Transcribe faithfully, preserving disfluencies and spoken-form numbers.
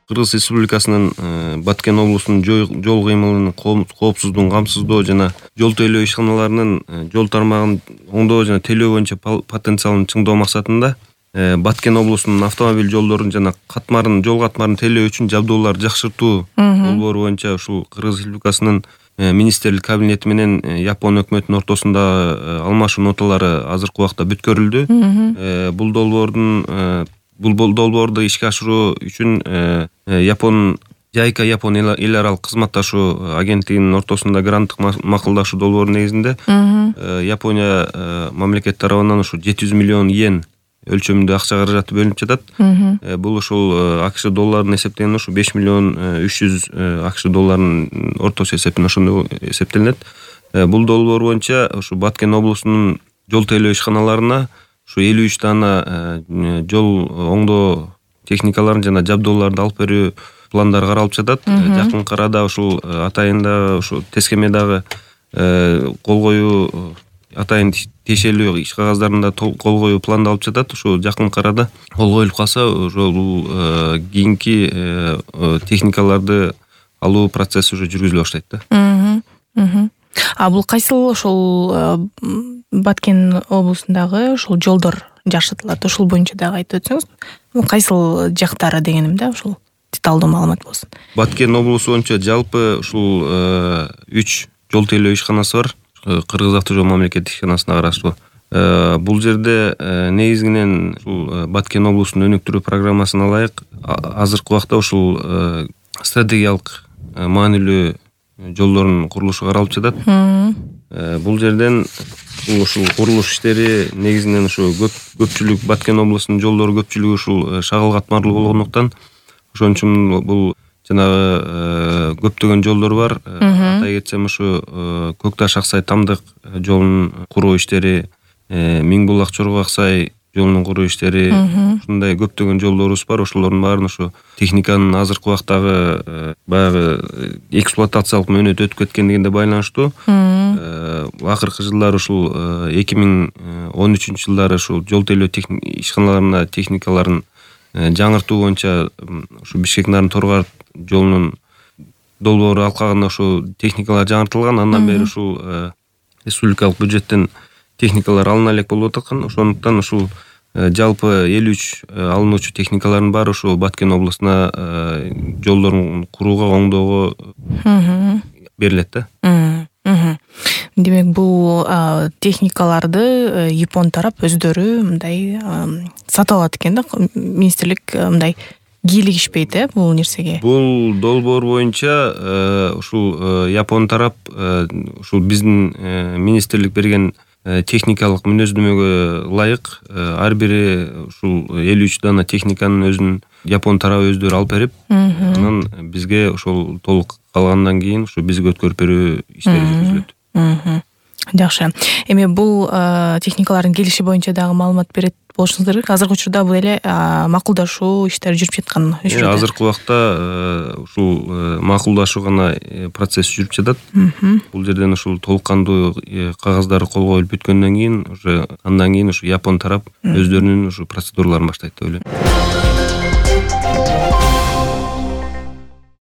Кыргыз Республикасынын Баткен облусунун жол кыймылынын коопсуздугун камсыздоо жана жол тейлөө ишканаларынын жол тармагын оңдоо жана тейлөө боюнча потенциалын чыңдоо максатында Баткен облусунун автомобиль жолдорун жана катмарын жол катмарын тейлөө үчүн жабдууларды жакшыртуу долбоору боюнча ушул Кыргыз Республикасынын министрлик кабинети менен Япон өкмөтүнүн ортосунда алмашуу ноталары азыркы убакта бүткөрүлдү. Бул долбоордун бул долбоорду ишке ашыруу үчүн Япон Жайка Япон эл аралык кызматташуу агенттигинин ортосунда гранттык макулдашуу долбоору негизинде Япония мамлекети тарабынан ушу жети жүз миллион йен өлчөмүндө акча каражаты бөлүнүп жатат. Бул ушул АКШ долларына эсептегенде ушу беш миллион үч жүз АКШ долларынын ортосу эсебинен ошондой эсептелинет. Бул долбоор боюнча ушу Баткен облусунун жол тейлөө ишканаларына ушу элүү үч дана жол оңдоо техникаларын жана жабдууларды алып берүү пландары каралып жатат. Жакынкы арада ушул атайында ушу тескемедагы кол коюу атайын тиешелүү иш кагаздарында кол коюу пландалып жатат. Ушу жакынкы арада кол коюлуп калса, ошол бул кийинки техникаларды алуу процесси уже жүргүзүлө баштайт да. А бул кайсыл ошол Баткен облусундагы ошол жолдор жакшыртылат? Ошол боюнча дагы айтып өтсөңүз. Кайсыл жактары дегеним да, ошол деталдуу маалымат болсун. Баткен облусу боюнча жалпы ушул үч жол тейлөө ишканасы бар. Кыргыз автожол мамлекеттик ишканасына караштуу. Бул жерде негизинен ушул Баткен облусунун өнүктүрүү программасына ылайык азыркы убакта ушул стратегиялык маанилүү жолдордун курулушу каралып жатат. Бул жерден ушул курулуш иштери негизинен ушу көпчүлүк Баткен облусунун жолдору көпчүлүгү ушул шагыл катмарлуу болгондуктан ошон үчүн бул жанагы көптөгөн жолдор бар. Атай кетсем ушу Көк Таш Аксай Тамдык жолунун куруу иштери, Миң Булак Чорго Аксай жолунун куруу иштери, ушундай көптөгөн жолдорубуз бар. Ошолордун баарын ушу техниканын азыркы убактагы баягы эксплуатациялык мөөнөтү өтүп кеткендигине байланыштуу акыркы жылдары ушул эки миң он үчүнчү жылдары ушул жол тейлөө ишканаларына техникаларын жаңыртуу боюнча ушу Бишкек Нарын Торгар жолунун долбоору алкагында ушу техникалар жаңыртылган. Андан бери ушул республикалык бюджеттен техникалар алына элек болуп аткан. Ошондуктан ушул жалпы элүү үч алынуучу техникалардын баары ушул Баткен облусуна жолдорун курууга, оңдоого берилет да. Демек, бул техникаларды Япон тарап өздөрү мындай сатып алат экен да. Министрлик мындай кийлигишпейт э бул нерсеге. Бул долбоор боюнча ушул Япон тарап ушул биздин министрлик берген техникалык мүнөздөмөгө ылайык ар бири ушул элүү үч дана техниканын өзүн Япон тарабы өздөрү алып берип, анан бизге ошол толук калгандан кийин ушу бизге өткөрүп берүү иштери жүргүзүлөт. Жакшы. Эми бул техникалардын келиши боюнча дагы маалымат берет болушуңуз керек. Азыркы учурда бул эле макулдашуу иштери жүрүп жаткан учурда. Азыркы убакта ушул макулдашуу гана процесс жүрүп жатат. Бул жерден ушул толук кандуу кагаздары кол коюлуп бүткөндөн кийин уже андан кийин ушу Япон тарап өздөрүнүн ушу процедураларын баштайт деп ойлойм.